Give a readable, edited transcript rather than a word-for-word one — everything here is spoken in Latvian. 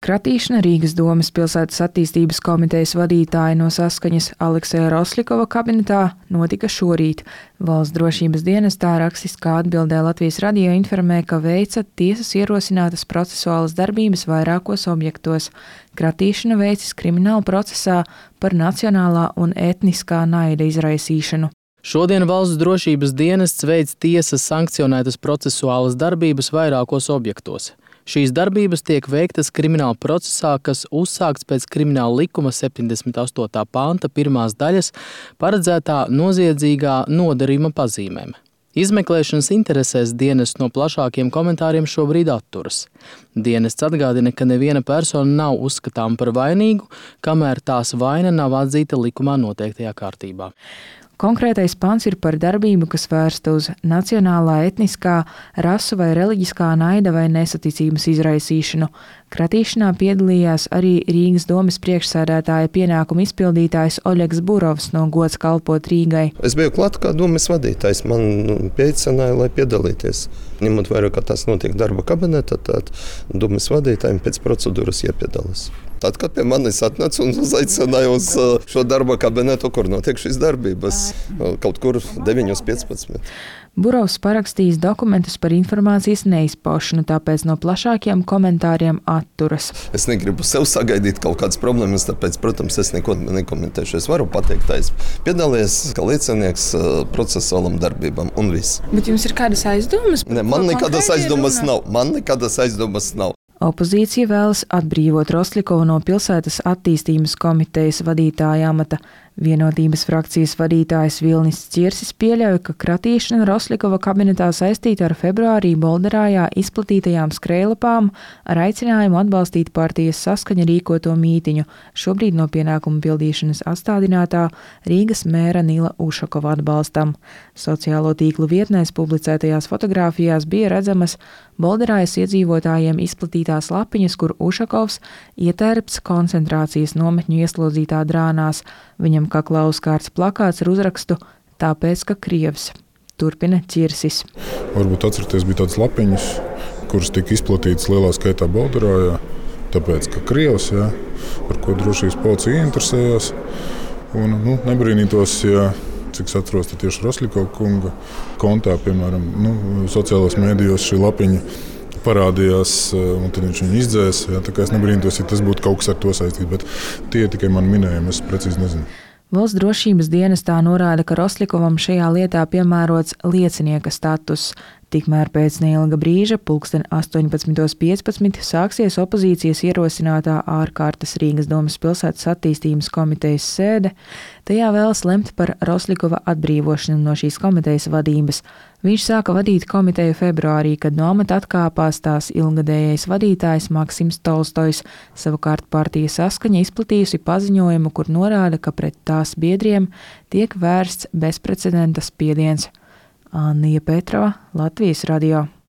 Kratīšana Rīgas domes pilsētas attīstības komitejas vadītāja no Saskaņas Aleksēja Rosļikova kabinetā notika šorīt. Valsts drošības dienestā rakstiskā atbildē Latvijas radio informē, ka veica tiesas ierosinātas procesuālas darbības vairākos objektos. Kratīšana veicis krimināla procesā par nacionālā un etniskā naida izraisīšanu. Šodien Valsts drošības dienests veic tiesas sankcionētas procesuālas darbības vairākos objektos. Šīs darbības tiek veiktas krimināla procesā, kas uzsākts pēc krimināla likuma 78. panta 1. daļas paredzētā noziedzīgā nodarījuma pazīmēm. Izmeklēšanas interesēs dienests no plašākiem komentāriem šobrīd atturas. Dienests atgādina, ka neviena persona nav uzskatāma par vainīgu, kamēr tās vaina nav atzīta likumā noteiktajā kārtībā. Konkrētais pants ir par darbību, kas vērsta uz nacionālā, etniskā, rasu vai reliģiskā naida vai nesaticības izraisīšanu. Kratīšanā piedalījās arī Rīgas domes priekšsēdētāja pienākumu izpildītājs Oļegs Burovs no Gods kalpot Rīgai. Es biju klāt kā domes vadītājs, man pieicināja, lai piedalīties. Ņemot vērā, ka tas notiek darba kabinetā, tad domes vadītājiem pēc procedūras jāpiedalās. Tad, kad pie manis atnāca un uzaicināja uz šo darba kabinetu, kur notiek šīs darbības, kaut kur 9:15. Burovs parakstījis dokumentus par informācijas neizpaušanu, tāpēc no plašākiem komentāriem atturas. Es negribu sev sagaidīt kaut kādas problēmas, tāpēc, protams, es neko nekomentēšu. Es varu pateikt, ka es piedalījos kā liecinieks procesuālam darbībām un viss. Bet jums ir kādas aizdomas? Ne, man nekādas aizdomas nav. Opozīcija vēlas atbrīvot Rosļikovu no pilsētas attīstības komitejas vadītāja amata. Vienotības frakcijas vadītājs Vilnis Cirsis pieļauj, ka kratīšana Rosļikova kabinetā saistīta ar februārī Bolderājā izplatītajām skrējlapām ar aicinājumu atbalstīt partijas Saskaņa rīkoto mītiņu, šobrīd no pienākumu pildīšanas atstādinātā Rīgas mēra Nila Ušakova atbalstam. Sociālo tīklu vietnēs publicētajās fotogrāfijās bija redzamas Bolderājas iedzīvotājiem izplatītās lapiņas, kur Ušakovs ietērpts koncentrācijas nometņu ieslodzītā drānās. Viņam kaklā uzkārts plakāts ar uzrakstu "Tāpēc, ka Krievs". Turpina Cirsis. Varbūt atceraties, bija tādas lapiņas, kuras tika izplatītas lielā skaitā Bolderājā, tāpēc, ka Krievs, par ko drošības policija interesējās. Un, nebrīnītos, cik es atceros, tieši Rosļikova kunga kontā, piemēram, sociālajos mēdījos šī lapiņa parādījās, un tad viņš viņu izdzēsa. Tā kā es nebrīnītos, ja tas būtu kaut kas ar to saistīts, bet tie tikai mani minējumi, es precīzi nezinu. Valsts drošības dienestā norāda, ka Rosļikovam šajā lietā piemērots liecinieka status. Tikmēr pēc neilga brīža, 18:15, sāksies opozīcijas ierosinātā ārkārtas Rīgas domes pilsētas attīstības komitejas sēde. Tajā vēlas lemt par Rosļikova atbrīvošanu no šīs komitejas vadības. Viņš sāka vadīt komiteju februārī, kad no amata atkāpās tās ilgadējais vadītājs Maksims Tolstojs. Savukārt partija Saskaņa izplatījusi paziņojumu, kur norāda, ka pret tās biedriem tiek vērsts bezprecedenta spiediens. Annija Petrova, Latvijas radio.